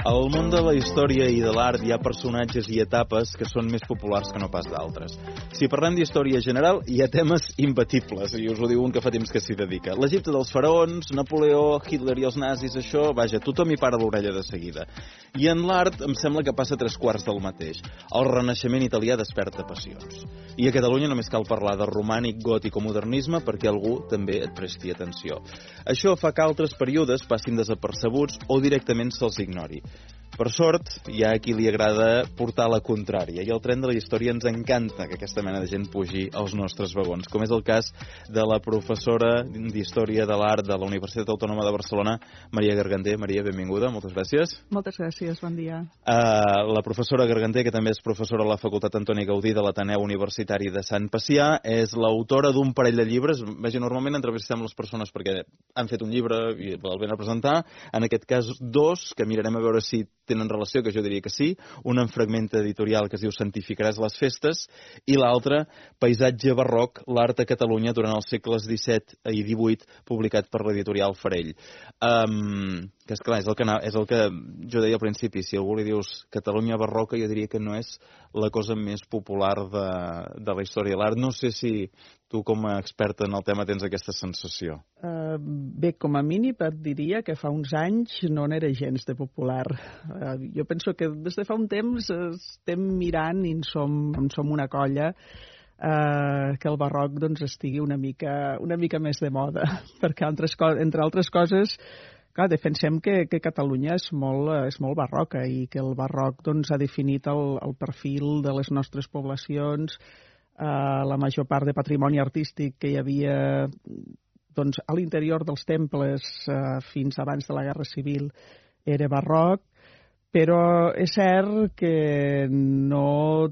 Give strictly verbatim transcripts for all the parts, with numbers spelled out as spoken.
Al món de la història i de l'art hi ha personatges i etapes que són més populars que no pas d'altres. Si parlem d'història general, hi ha temes imbatibles, i us ho diu un que fa temps que s'hi dedica. L'Egipte dels faraons, Napoleó, Hitler i els nazis, això, vaja, tothom hi para l'orella de seguida. I en l'art em sembla que passa tres quarts del mateix. El Renaixement italià desperta passions. I a Catalunya només cal parlar de romànic, gòtic o modernisme perquè algú també et presti atenció. Això fa que altres períodes passin desapercebuts o directament se'ls ignori. Per sort, hi ha a qui li agrada portar la contrària, i el tren de la història ens encanta que aquesta mena de gent pugi als nostres vagons, com és el cas de la professora d'Història de l'Art de la Universitat Autònoma de Barcelona, Maria Garganter. Maria, benvinguda, moltes gràcies. Moltes gràcies, bon dia. Uh, la professora Garganter, que també és professora a la Facultat Antoni Gaudí de l'Ateneu Universitari de Sant Pacià, és l'autora d'un parell de llibres. Vaja, normalment entrevistem les persones perquè han fet un llibre i el venen a presentar. En aquest cas, dos, que mirarem a veure si tenen relació, que jo diria que sí, un en fragment editorial que es diu Santificaràs les festes, i l'altre, Paisatge barroc, l'art a Catalunya durant els segles disset i divuit, publicat per l'editorial Farell. Um, que esclar, és el que, és el que jo deia al principi, si algú li dius Catalunya barroca, jo diria que no és la cosa més popular de, de la història de l'art. No sé si tu, com a experta en el tema, tens aquesta sensació. Uh, bé, com a mínim et diria que fa uns anys no n'era gens de popular. Uh, jo penso que des de fa un temps estem mirant i en som, en som una colla uh, que el barroc doncs, estigui una mica, una mica més de moda, perquè altres, entre altres coses, clar, defensem que, que Catalunya és molt, és molt barroca i que el barroc doncs, ha definit el, el perfil de les nostres poblacions. Uh, la major part de patrimoni artístic que hi havia doncs, a l'interior dels temples uh, fins abans de la Guerra Civil era barroc, però és cert que no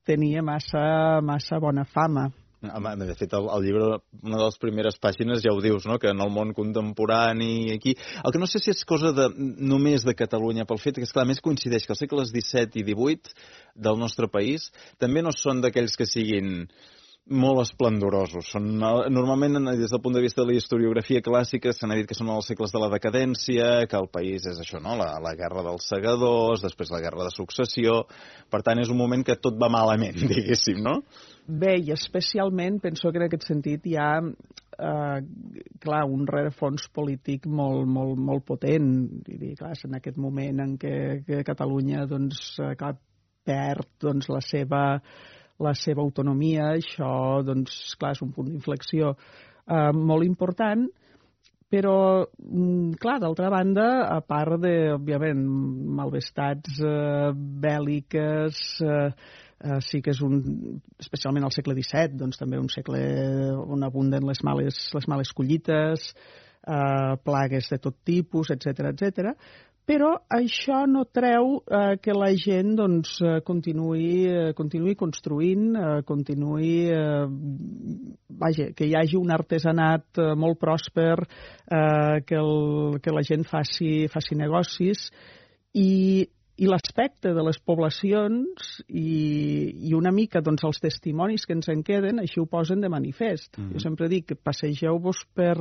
tenia massa, massa bona fama. De fet, el, el llibre, una de les primeres pàgines ja ho dius, no? Que en el món contemporani aquí... El que no sé si és cosa de, només de Catalunya, pel fet que, esclar, més coincideix que els segles disset i divuit del nostre país també no són d'aquells que siguin molt esplendorosos. Són, normalment, des del punt de vista de la historiografia clàssica, se n'ha dit que són els segles de la decadència, que el país és això, no? La, la guerra dels segadors, després la guerra de successió... Per tant, és un moment que tot va malament, diguéssim, no? Bé, i especialment penso que en aquest sentit hi ha eh, clar, un rerefons polític molt, molt, molt potent. I dir, clar, en aquest moment en què, que Catalunya doncs, clar, perd doncs, la seva la seva autonomia, això doncs, clar, és un punt d'inflexió eh, molt important, però, clar, d'altra banda, a part de, òbviament, malvestats eh, bèl·liques, eh, eh, sí que és un, especialment al segle disset, doncs també un segle on abunden les males, les males collites, eh, plagues de tot tipus, etcètera, etcètera. Però això no treu eh, que la gent doncs, continuï, eh, continuï construint, eh, continuï, eh, vaja, que hi hagi un artesanat eh, molt pròsper, eh, que, el, que la gent faci, faci negocis i, i l'aspecte de les poblacions i, i una mica doncs, els testimonis que ens en queden així ho posen de manifest. Mm. Jo sempre dic que passegeu-vos per...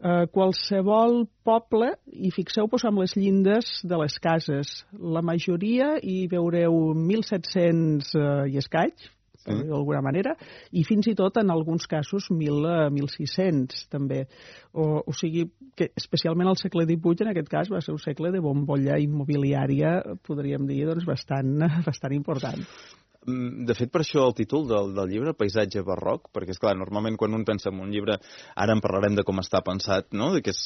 Uh, qualsevol poble i fixeu-vos amb les llindes de les cases. La majoria hi veureu mil set-cents uh, i escaig, sí, d'alguna manera, i fins i tot en alguns casos mil sis-cents també. O, o sigui que especialment al segle divuit en aquest cas va ser un segle de bombolla immobiliària, podríem dir, doncs, bastant, bastant important. De fet, per això el títol del, del llibre, Paisatge barroc, perquè, esclar, normalment quan un pensa en un llibre, ara en parlarem de com està pensat, no? De que és,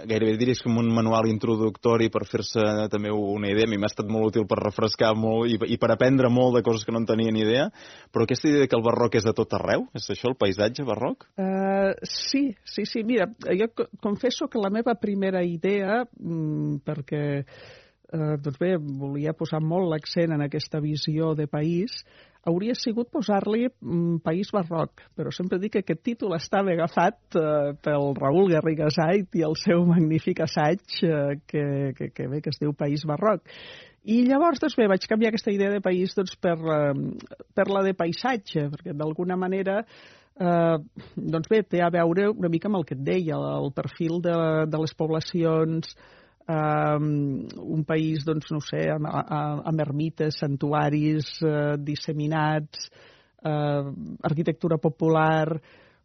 gairebé diries com un manual introductori per fer-se també una idea. A mi m'ha estat molt útil per refrescar molt i, i per aprendre molt de coses que no en tenia ni idea, però aquesta idea que el barroc és a tot arreu, és això, el paisatge barroc? Uh, sí, sí, sí. Mira, jo confesso que la meva primera idea, mmm, perquè... Uh, doncs bé, volia posar molt l'accent en aquesta visió de país, hauria sigut posar-li um, País Barroc, però sempre dic que aquest títol estava agafat uh, pel Raül Garriga Sait i el seu magnífic assaig uh, que, que, que, bé, que es diu País Barroc. I llavors, doncs bé, vaig canviar aquesta idea de país doncs, per, uh, per la de paisatge, perquè d'alguna manera Uh, doncs bé, té a veure una mica amb el que et deia, el perfil de, de les poblacions, Um, un país, doncs, no ho sé, amb, amb ermites, santuaris uh, disseminats, uh, arquitectura popular.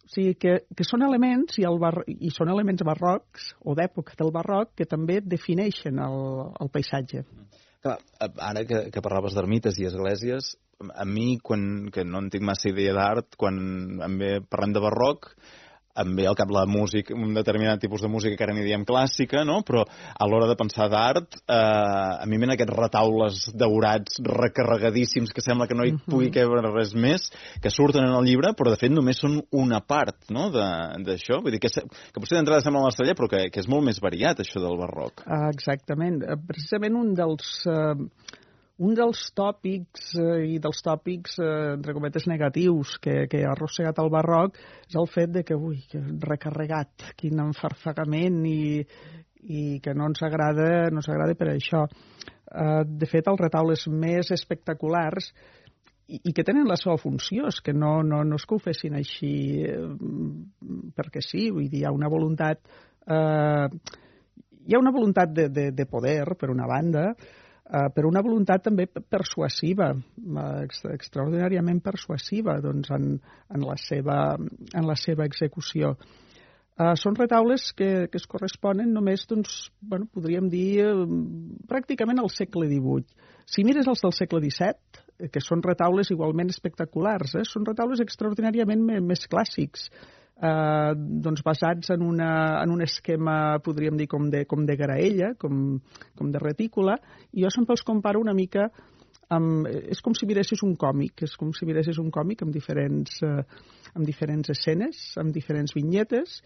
O sigui, que, que són elements, i, el bar, i són elements barrocs, o d'època del barroc, que també defineixen el, el paisatge. Clar, ara que, que parlaves d'ermites i esglésies, a mi, quan, que no en tinc massa idea d'art, quan em ve parlant de barroc, em ve al cap la música, un determinat tipus de música que ara n'hi diem clàssica, no? Però a l'hora de pensar d'art, eh, a mi venen aquests retaules daurats recarregadíssims que sembla que no hi pugui cabre res més, que surten en el llibre, però de fet només són una part, no?, d'això. Vull dir que, que potser d'entrada sembla l'estrella, però que, que és molt més variat, això del barroc. Ah, exactament. Precisament un dels... Eh... Un dels tòpics, eh, i dels tòpics, eh, entre cometes, negatius que, que ha arrossegat el barroc és el fet de que, ui, que recarregat, quin enfarfegament, i, i que no ens agrada, no ens agrada per això. Eh, de fet, els retaules més espectaculars i, i que tenen la seva funció, és que no, no, no és que ho fessin així eh, perquè sí, vull dir, hi ha una voluntat, eh, hi ha una voluntat de, de, de poder, per una banda, Uh, per una voluntat també persuasiva, uh, extraordinàriament persuasiva, doncs, en, en, la seva, en la seva execució. Uh, són retaules que, que es corresponen només, doncs, bueno, podríem dir, uh, pràcticament al segle divuit. Si mires els del segle disset, que són retaules igualment espectaculars, eh, són retaules extraordinàriament més clàssics, Uh, doncs basats en, una, en un esquema, podríem dir, com de, com de graella, com, com de retícula, i jo sempre els comparo una mica amb... És com si miressis un còmic, és com si miressis un còmic amb diferents, uh, amb diferents escenes, amb diferents vinyetes,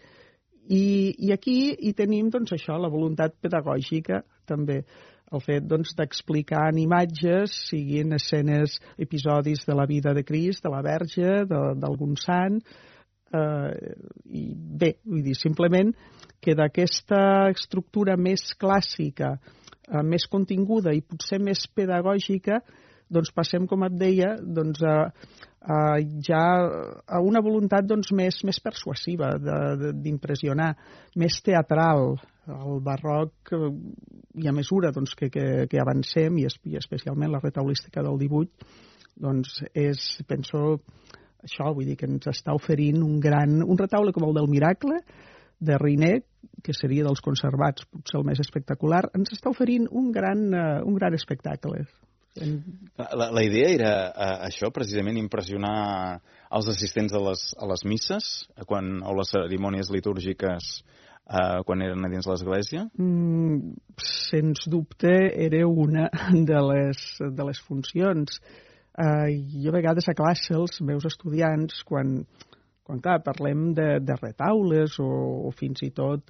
i, i aquí hi tenim, doncs, això, la voluntat pedagògica, també. El fet, doncs, d'explicar en imatges, siguin escenes, episodis de la vida de Crist, de la Verge, d'algun sant. Uh, i bé, vull dir, simplement que d'aquesta estructura més clàssica, uh, més continguda i potser més pedagògica, doncs passem, com et deia, doncs, a, a ja a una voluntat, doncs, més, més persuasiva d'impressionar, més teatral. El barroc, i a mesura, doncs, que, que, que avancem, i, es, i especialment la retaulística del divuit, doncs és, penso, això, vull dir, que ens està oferint un gran... Un retaule com el del Miracle, de Riné, que seria dels conservats, potser el més espectacular, ens està oferint un gran, uh, un gran espectacle. La, la idea era uh, això, precisament, impressionar els assistents a les, a les misses, quan, o les cerimònies litúrgiques, uh, quan eren a dins l'església? Mm, sens dubte, era una de les, de les funcions. Uh, jo a vegades a classe els meus estudiants, quan, quan clar, parlem de, de retaules o, o fins i tot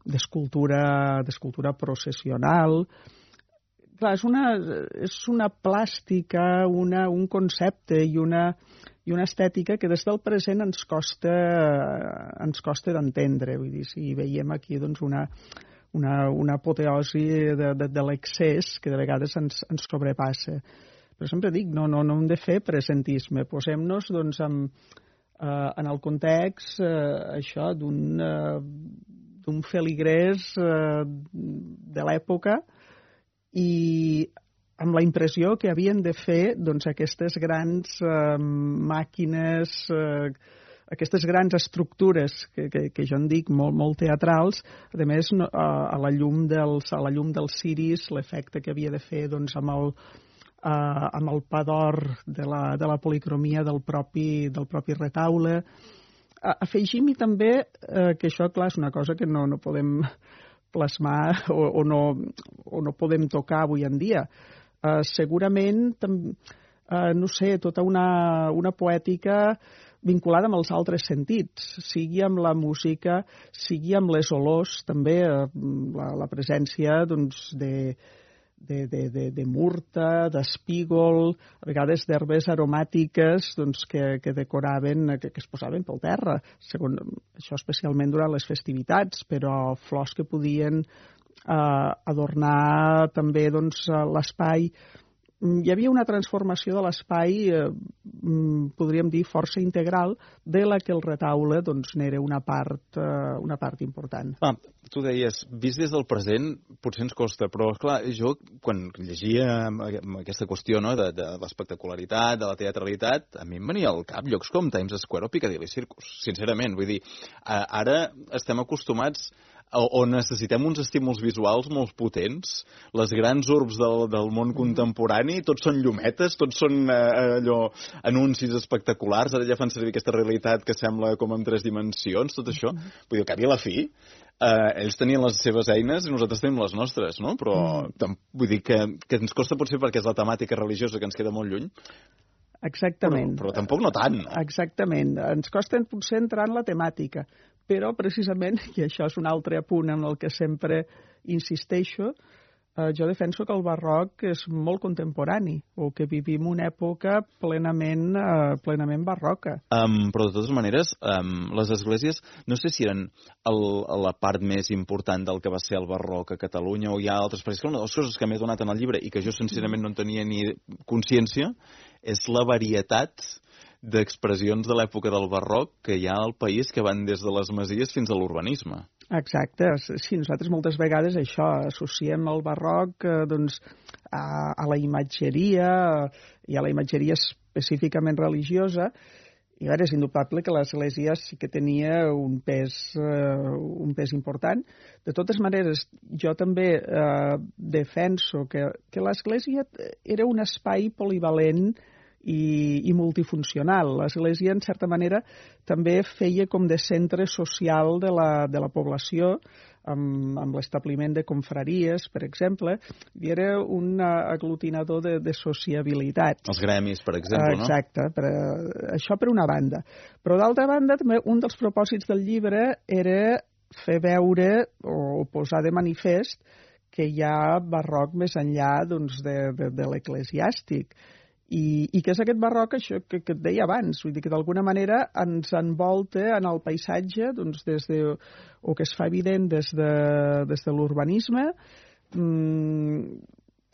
d'escultura d'escultura processional, clar, és una, és una plàstica, una, un concepte i una, i una estètica que des del present ens costa, ens costa d'entendre. Vull dir, si veiem aquí, doncs, una, una, una apoteosi de, de, de l'excés que de vegades ens, ens sobrepassa. Però sempre dic, no, no, no hem de fer presentisme. Posem-nos, doncs, amb, eh, en el context eh, això d'un eh, d'un feligrès eh, de l'època i amb la impressió que havien de fer, doncs, aquestes grans eh, màquines, eh, aquestes grans estructures que, que, que jo en dic molt, molt teatrals, a més, no, a, a la llum dels, a la llum dels ciris, l'efecte que havia de fer, doncs, amb el Uh, amb el pa d'or de, la, de la policromia del propi, del propi retaule. Uh, afegim-hi també uh, que això, clar, és una cosa que no, no podem plasmar o, o, no, o no podem tocar avui en dia. Uh, segurament, uh, no sé, tota una, una poètica vinculada amb els altres sentits, sigui amb la música, sigui amb les olors, també uh, la, la presència, doncs, de de, de, de, de murta, d'espígol, a vegades d'herbes aromàtiques, doncs, que, que decoraven, que, que es posaven pel terra, segon, això especialment durant les festivitats, però flors que podien eh, adornar també, doncs, l'espai. hi havia una transformació de l'espai, eh, podríem dir, força integral, de la que el retaule doncs, n'era una, part, eh, una part important. Ah, tu deies, vist des del present, potser ens costa, però, clar, jo, quan llegia aquesta qüestió no, de, de l'espectacularitat, de la teatralitat, a mi em venia al cap llocs com Times Square o Piccadilly Circus, sincerament. Vull dir, ara estem acostumats o necessitem uns estímuls visuals molt potents. Les grans urbs del, del món contemporani, tots són llumetes, tots són eh, allò, anuncis espectaculars, ara ja fan servir aquesta realitat que sembla com en tres dimensions, tot això. Vull dir, al cap i a la fi, eh, ells tenien les seves eines i nosaltres tenim les nostres, no? Però mm. vull dir que, que ens costa potser perquè és la temàtica religiosa que ens queda molt lluny. Exactament. Però, però tampoc no tant. No? Exactament. Ens costa potser entrar en la temàtica, però precisament, i això és un altre apunt en el que sempre insisteixo, eh, jo defenso que el barroc és molt contemporani, o que vivim una època plenament, eh, plenament barroca. Um, però de totes maneres, um, les esglésies, no sé si eren el, la part més important del que va ser el barroc a Catalunya, o hi ha altres, perquè una de les coses que m'he donat en el llibre i que jo sincerament no en tenia ni consciència, és la varietat d'expressions de l'època del barroc que hi ha al país, que van des de les masies fins a l'urbanisme. Exacte. Sí, nosaltres moltes vegades això associem el barroc eh, doncs, a, a la imatgeria i a la imatgeria específicament religiosa. I a veure, és indubtable que l'Església sí que tenia un pes, eh, un pes important. De totes maneres, jo també eh, defenso que, que l'Església era un espai polivalent i, i multifuncional. L'Església, en certa manera, també feia com de centre social de la, de la població, amb, amb l'establiment de confraries, per exemple, i era un aglutinador de, de sociabilitat. Els gremis, per exemple, no? Exacte, per, això per una banda. Però d'altra banda, també un dels propòsits del llibre era fer veure o posar de manifest que hi ha barroc més enllà doncs, de, de, de l'eclesiàstic. I, i que és aquest barroc, això que, que et deia abans, vull dir que d'alguna manera ens envolta en el paisatge, doncs des de, o que es fa evident des de, des de l'urbanisme, mmm,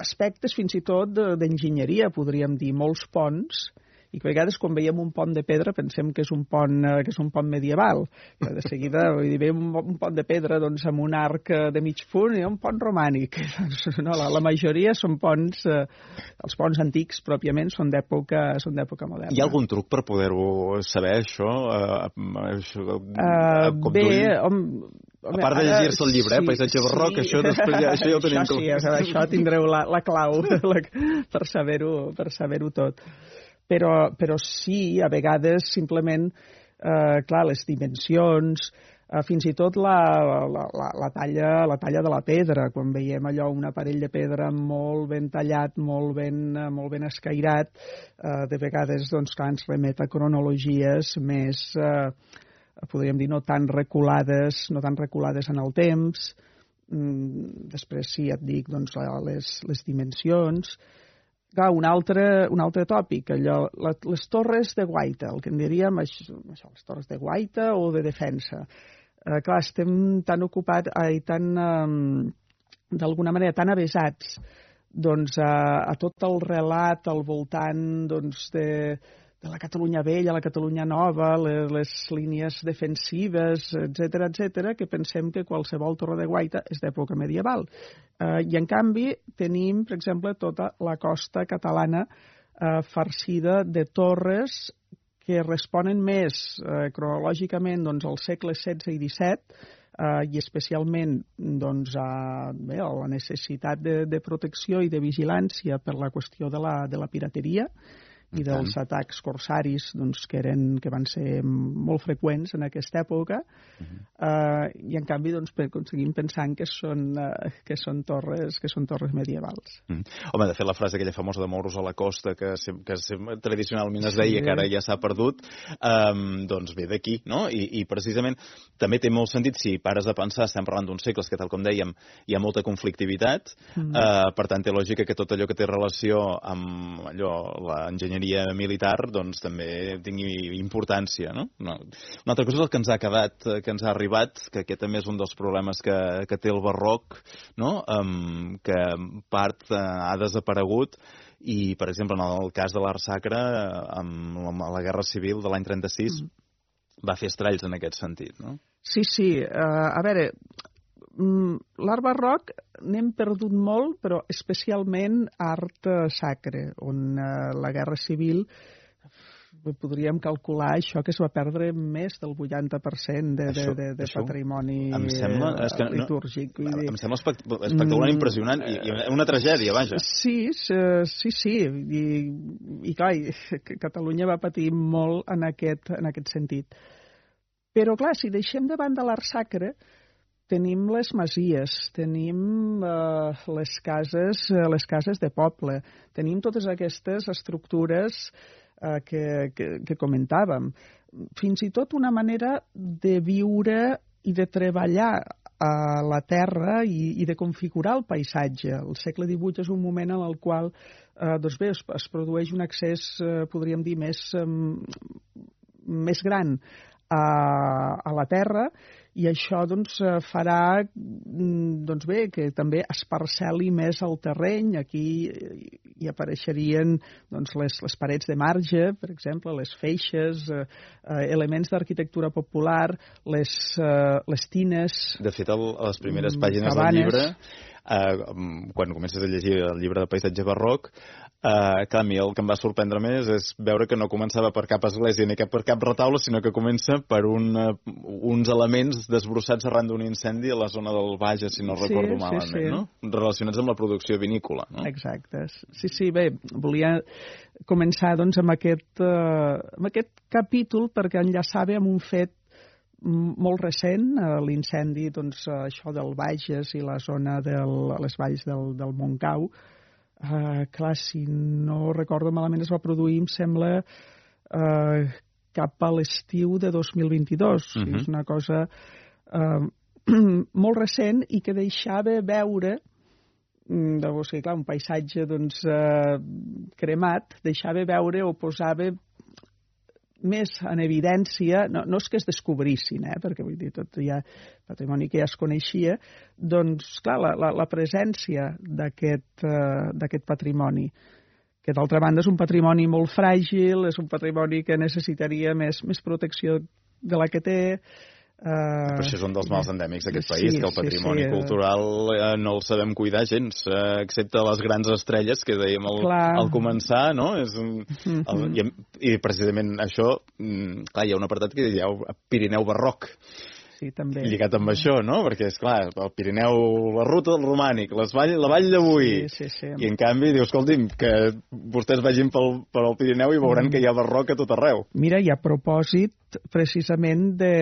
aspectes fins i tot d'enginyeria, podríem dir, molts ponts, i que a vegades quan veiem un pont de pedra pensem que és un pont, que és un pont medieval. I de seguida vull dir, veiem un pont de pedra doncs, amb un arc de mig punt i un pont romànic. No, la, la majoria són ponts, eh, els ponts antics pròpiament són d'època són d'època moderna. Hi ha algun truc per poder-ho saber, això? Uh, això uh, bé, hom, a part de llegir-se el llibre, sí, eh, paisatge barroc, sí. això, després ja, això ja ho tenim. Això sí, com... això tindreu la, la clau la, per saber-ho per saber-ho tot. Però, però sí, a vegades simplement, eh, clar, les dimensions, eh, fins i tot la, la, la, la, talla, la talla de la pedra, quan veiem allò, un aparell de pedra molt ben tallat, molt ben, molt ben escairat, eh, de vegades doncs, clar, ens remet a cronologies més, eh, podríem dir, no tan reculades, no tan reculades en el temps. Mm, després sí, et dic, doncs, les, les dimensions. Clar, un altre, un altre tòpic, allò, les torres de guaita, el que en diríem això, les torres de guaita o de defensa. Eh, clar, estem tan ocupats, ai, tan, um, d'alguna manera, tan avesats doncs, a, a tot el relat al voltant doncs, de, de la Catalunya vella, la Catalunya nova, les, les línies defensives, etcètera, etcètera, que pensem que qualsevol torre de guaita és d'època medieval. Eh, I, en canvi, tenim, per exemple, tota la costa catalana eh, farcida de torres que responen més eh, cronològicament doncs, als segles setze i disset, eh, i especialment doncs, a, bé, a la necessitat de, de protecció i de vigilància per la qüestió de la, de la pirateria, i dels atacs corsaris doncs, que, eren, que van ser molt freqüents en aquesta època, uh-huh. uh, i en canvi doncs, seguim pensant que són, uh, que són, torres, que són torres medievals. Uh-huh. Home, de fet, la frase aquella famosa de mouros a la costa, que, que tradicionalment es deia, sí, que ara ja s'ha perdut, um, doncs ve d'aquí, no? I, I precisament també té molt sentit, si pares a pensar, estem parlant d'uns segles que, tal com dèiem, hi ha molta conflictivitat, uh-huh. uh, per tant té lògica que tot allò que té relació amb allò, l'enginyeria militar, doncs també tingui importància, no? no? Una altra cosa és el que ens ha quedat, que ens ha arribat, que aquest també és un dels problemes que, que té el barroc, no? Um, que part uh, ha desaparegut, i, per exemple, en el cas de l'art sacre, amb la Guerra Civil de l'any trenta-sis, mm. va fer estralls en aquest sentit, no? Sí, sí. Uh, a veure, l'art barroc n'hem perdut molt, però especialment art sacre, on uh, la Guerra Civil podríem calcular això que es va perdre més del vuitanta per cent de, això, de, de, de patrimoni em sembla, és que litúrgic. No, em sembla espectacular, impressionant, i, i una tragèdia, vaja. Sí, sí, sí, i, i clar, Catalunya va patir molt en aquest, en aquest sentit. Però clar, si deixem de banda l'art sacre, tenim les masies, tenim uh, les cases, uh, les cases de poble, tenim totes aquestes estructures uh, que, que, que comentàvem. Fins i tot una manera de viure i de treballar a la terra i, i de configurar el paisatge. El segle divuit és un moment en el qual uh, doncs bé, es, es produeix un accés, uh, podríem dir, més, um, més gran a, a la terra, i això doncs, farà doncs bé, que també es parcel·li més el terreny. Aquí hi apareixerien doncs, les, les parets de marge, per exemple, les feixes, eh, elements d'arquitectura popular, les, eh, les tines... De fet, el, a les primeres pàgines cabanes. Del llibre, eh, quan comences a llegir el llibre de paisatge barroc, Uh, clar, a mi el que em va sorprendre més és veure que no començava per cap església ni per cap retaule, sinó que comença per un, uh, uns elements desbrossats arran d'un incendi a la zona del Bages, si no sí, recordo malament, sí, sí. No? Relacionats amb la producció vinícola. No? Exacte. Sí, sí, bé, volia començar doncs, amb, aquest, uh, amb aquest capítol perquè enllaçava amb un fet molt recent, uh, l'incendi, doncs, uh, això del Bages i la zona de les valls del, del Montcau. Uh, clar, si no recordo malament, es va produir, em sembla, uh, cap a l'estiu de dos mil vint-i-dos. Uh-huh. És una cosa uh, molt recent i que deixava veure, de, o sigui, clar, un paisatge doncs, uh, cremat, deixava veure o posava més en evidència, no, no és que es descobrissin, eh, perquè vull dir, tot hi ha patrimoni que ja es coneixia, doncs, clar, la, la, la presència d'aquest uh, d'aquest patrimoni, que d'altra banda és un patrimoni molt fràgil, és un patrimoni que necessitaria més, més protecció de la que té. Uh, Però això és un dels mals endèmics d'aquest país, sí, que el patrimoni sí, sí, cultural eh, no el sabem cuidar gens, eh, excepte les grans estrelles que dèiem al, al començar, no? És un, el, i, I precisament això, clar, hi ha un apartat que diu Pirineu barroc. Sí, també. Lligat amb això, no? Perquè, és clar, el Pirineu, la ruta del romànic, les vall, la vall d'avui. Sí, sí, sí. I, en canvi, diu, escolti'm, que vostès vagin pel, pel Pirineu i veuran mm. que hi ha barroc a tot arreu. Mira, i a propòsit, precisament, de,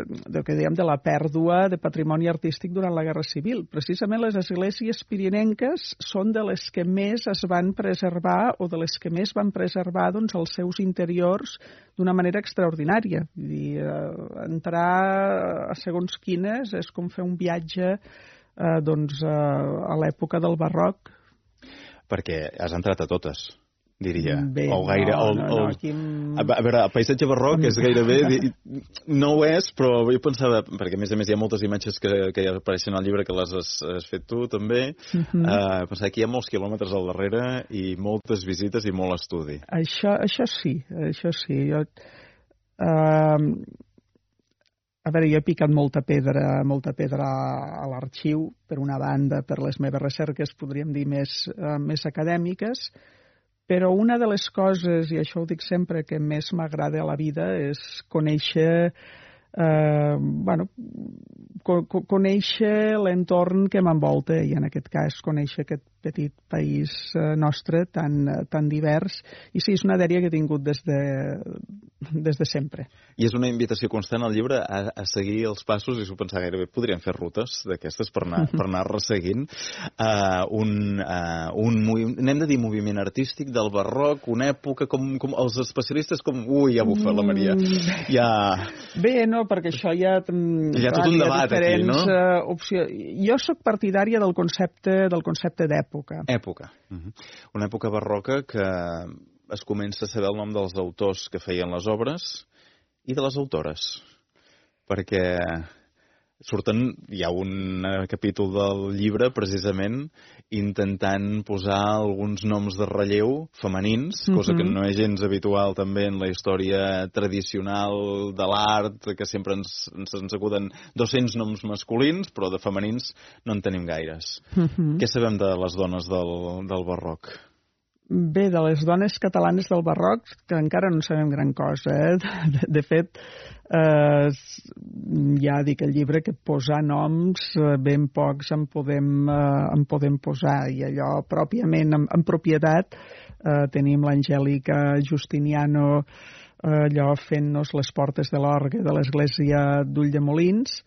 de, que dèiem, de la pèrdua de patrimoni artístic durant la Guerra Civil. Precisament les esglésies pirinenques són de les que més es van preservar o de les que més van preservar doncs, els seus interiors d'una manera extraordinària. Vull dir, eh, entrar a segons quines és com fer un viatge eh, doncs, eh, a l'època del barroc. Perquè has entrat a totes, diria. Bé, o gaire, no, el, no, el, no, aquí... A veure, el paisatge barroc és gairebé... No ho és, però jo pensava... Perquè, a més a més, hi ha moltes imatges que, que ja apareixen al llibre que les has, has fet tu, també. Uh-huh. uh, pensava que hi ha molts quilòmetres al darrere i moltes visites i molt estudi. Això, això sí, això sí. Jo... Uh, a veure, jo he picat molta pedra, molta pedra a l'arxiu, per una banda, per les meves recerques, podríem dir, més, uh, més acadèmiques, però una de les coses, i això ho dic sempre, que més m'agrada a la vida és conèixer, eh, bueno, co conèixer l'entorn que m'envolta, i en aquest cas conèixer aquest petit país eh, nostre tan, tan divers. I sí, és una dèria que he tingut des de, des de sempre. I és una invitació constant al llibre a, a seguir els passos, i s'ho pensava gairebé, podríem fer rutes d'aquestes per anar, per anar resseguint uh, un, uh, un anem de dir moviment artístic del barroc, una època com, com els especialistes com... Ui, ja bufa la Maria. Ja... Bé, no, perquè això ja... Hi ha tot un debat aquí, no? Uh, opcions. Jo sóc partidària del concepte del concepte d'època. Època. Uh-huh. Una època barroca que es comença a saber el nom dels autors que feien les obres i de les autores. Perquè surten, hi ha un capítol del llibre, precisament, intentant posar alguns noms de relleu femenins, cosa que no és gens habitual també en la història tradicional de l'art, que sempre ens, ens, ens acuden dos-cents noms masculins, però de femenins no en tenim gaires. Uh-huh. Què sabem de les dones del, del barroc? Bé, de les dones catalanes del barroc, que encara no sabem gran cosa. Eh? De, de fet, eh, ja dic el llibre que posar noms, eh, ben pocs en podem, eh, en podem posar. I allò, pròpiament, en, en propietat, eh, tenim l'Angèlica Justiniano, eh, allò fent-nos les portes de l'orgue de l'església d'Ulldemolins,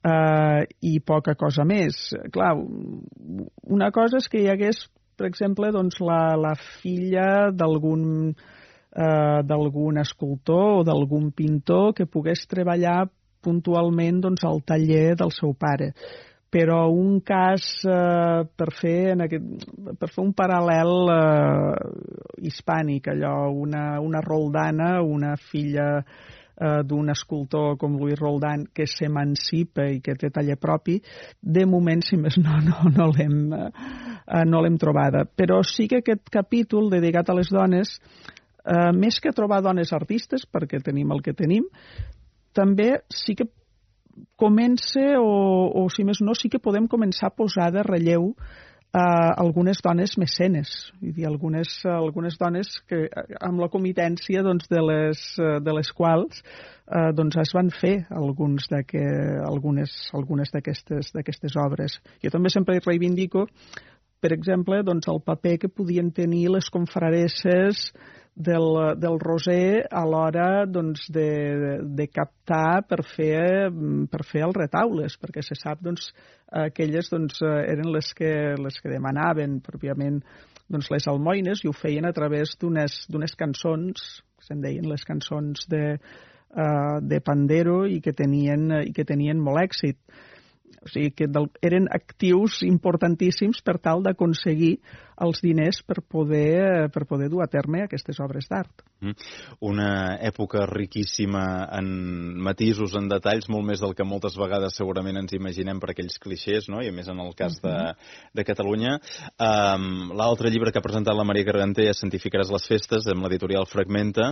eh, i poca cosa més. Clar, una cosa és que hi hagués, per exemple, doncs, la, la filla d'algun eh, d'algun escultor o d'algun pintor que pogués treballar puntualment doncs, al taller del seu pare. Però un cas eh, per, fer en aquest, per fer un paral·lel eh, hispànic, allò, una, una Roldana, una filla d'un escultor com Lluís Roldán que s'emancipa i que té taller propi, de moment, si més no, no, no l'hem eh, no l'hem trobada. Però sí que aquest capítol dedicat a les dones, eh, més que trobar dones artistes, perquè tenim el que tenim, també sí que comença, o, o si més no, sí que podem començar a posar de relleu Uh, algunes dones mecenes, vull dir, algunes, algunes dones que, amb la comitència doncs, de, les, de les quals uh, doncs, es van fer alguns de que, algunes, algunes d'aquestes obres. Jo també sempre reivindico, per exemple, doncs, el paper que podien tenir les confraresses del, del Roser a l'hora doncs, de, de captar per fer, per fer els retaules, perquè se sap doncs, aquelles doncs, eren les que, les que demanaven pròpiament doncs, les almoines, i ho feien a través d'unes cançons, que se'n deien les cançons de, uh, de Pandero, i que tenien, i que tenien molt èxit. O sigui que del, eren actius importantíssims per tal d'aconseguir els diners per poder, per poder dur a terme aquestes obres d'art. Una època riquíssima en matisos, en detalls, molt més del que moltes vegades segurament ens imaginem per aquells clixés, no? I a més en el cas de, de Catalunya. Um, L'altre llibre que ha presentat la Maria Garganter és Santificaràs les festes, amb l'editorial Fragmenta,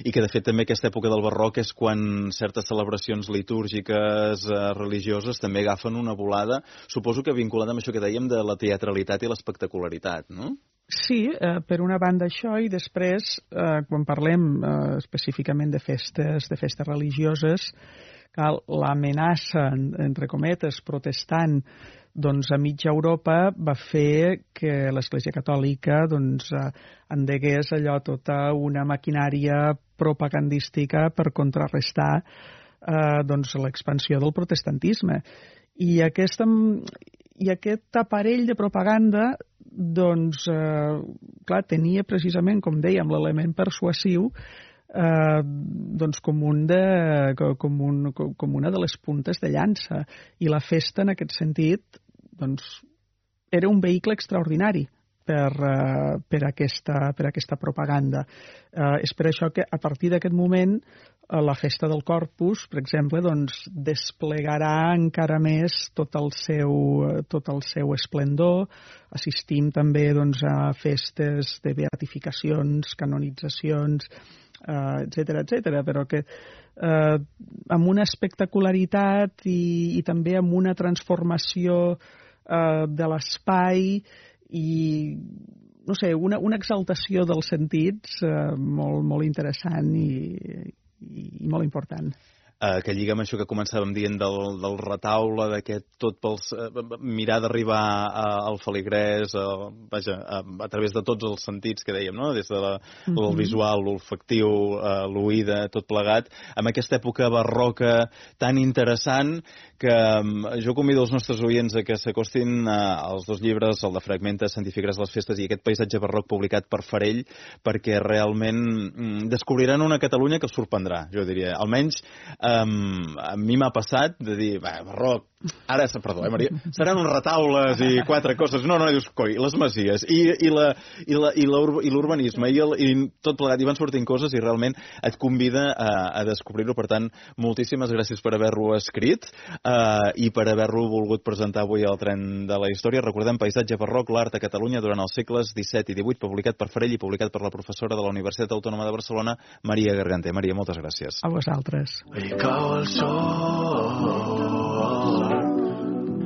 i que de fet també aquesta època del barroc és quan certes celebracions litúrgiques, eh, religioses, també agafen una volada, suposo que vinculada amb això que dèiem de la teatralitat i l'espectacularitat, no? Sí, eh, per una banda això, i després, eh, quan parlem eh, específicament de festes, de festes religioses, l'amenaça, entre cometes, protestant, doncs, a mitja Europa va fer que l'Església Catòlica doncs, eh, endegués allò tota una maquinària propagandística per contrarrestar eh, doncs, l'expansió del protestantisme. I, aquesta, i aquest aparell de propaganda doncs, eh, clar, tenia precisament, com dèiem, l'element persuasiu eh, doncs com, un de, com, un, com una de les puntes de llança. I la festa, en aquest sentit, doncs, era un vehicle extraordinari per, eh, per, aquesta, per aquesta propaganda. Eh, és per això que a partir d'aquest moment la festa del Corpus, per exemple, doncs, desplegarà encara més tot el seu, tot el seu esplendor. Assistim també doncs, a festes de beatificacions, canonitzacions, eh, etcètera, etcètera, però que eh, amb una espectacularitat i, i també amb una transformació eh, de l'espai i no sé, una, una exaltació dels sentits eh, molt, molt interessant i i molt important. Uh, que lliga amb això que començàvem dient del, del retaule, d'aquest tot pels... Uh, mirar d'arribar al feligrès, uh, vaja, a, a través de tots els sentits que dèiem, no? Des de la, mm -hmm. el visual, l'olfactiu, uh, l'oïda, tot plegat, amb aquesta època barroca tan interessant que um, jo convido els nostres oients a que s'acostin uh, als dos llibres, el de Fragmenta, Santificaràs les festes, i aquest paisatge barroc publicat per Farell, perquè realment um, descobriran una Catalunya que els sorprendrà, jo diria. Almenys um, a mi m'ha passat de dir, va, Barroc, ara, perdó, eh, Maria, seran uns retaules i quatre coses. No, no, dius, coi, les masies i, i, la, i, la, i, la, i l'urbanisme i, el, i tot plegat, i van sortint coses i realment et convida a, a descobrir-ho. Per tant, moltíssimes gràcies per haver-lo escrit uh, i per haver-lo volgut presentar avui al Tren de la Història. Recordem, Paisatge barroc, l'art a Catalunya durant els segles disset i divuit, publicat per Farell i publicat per la professora de la Universitat Autònoma de Barcelona, Maria Gargante. Maria, moltes gràcies. A vosaltres. I cau el sol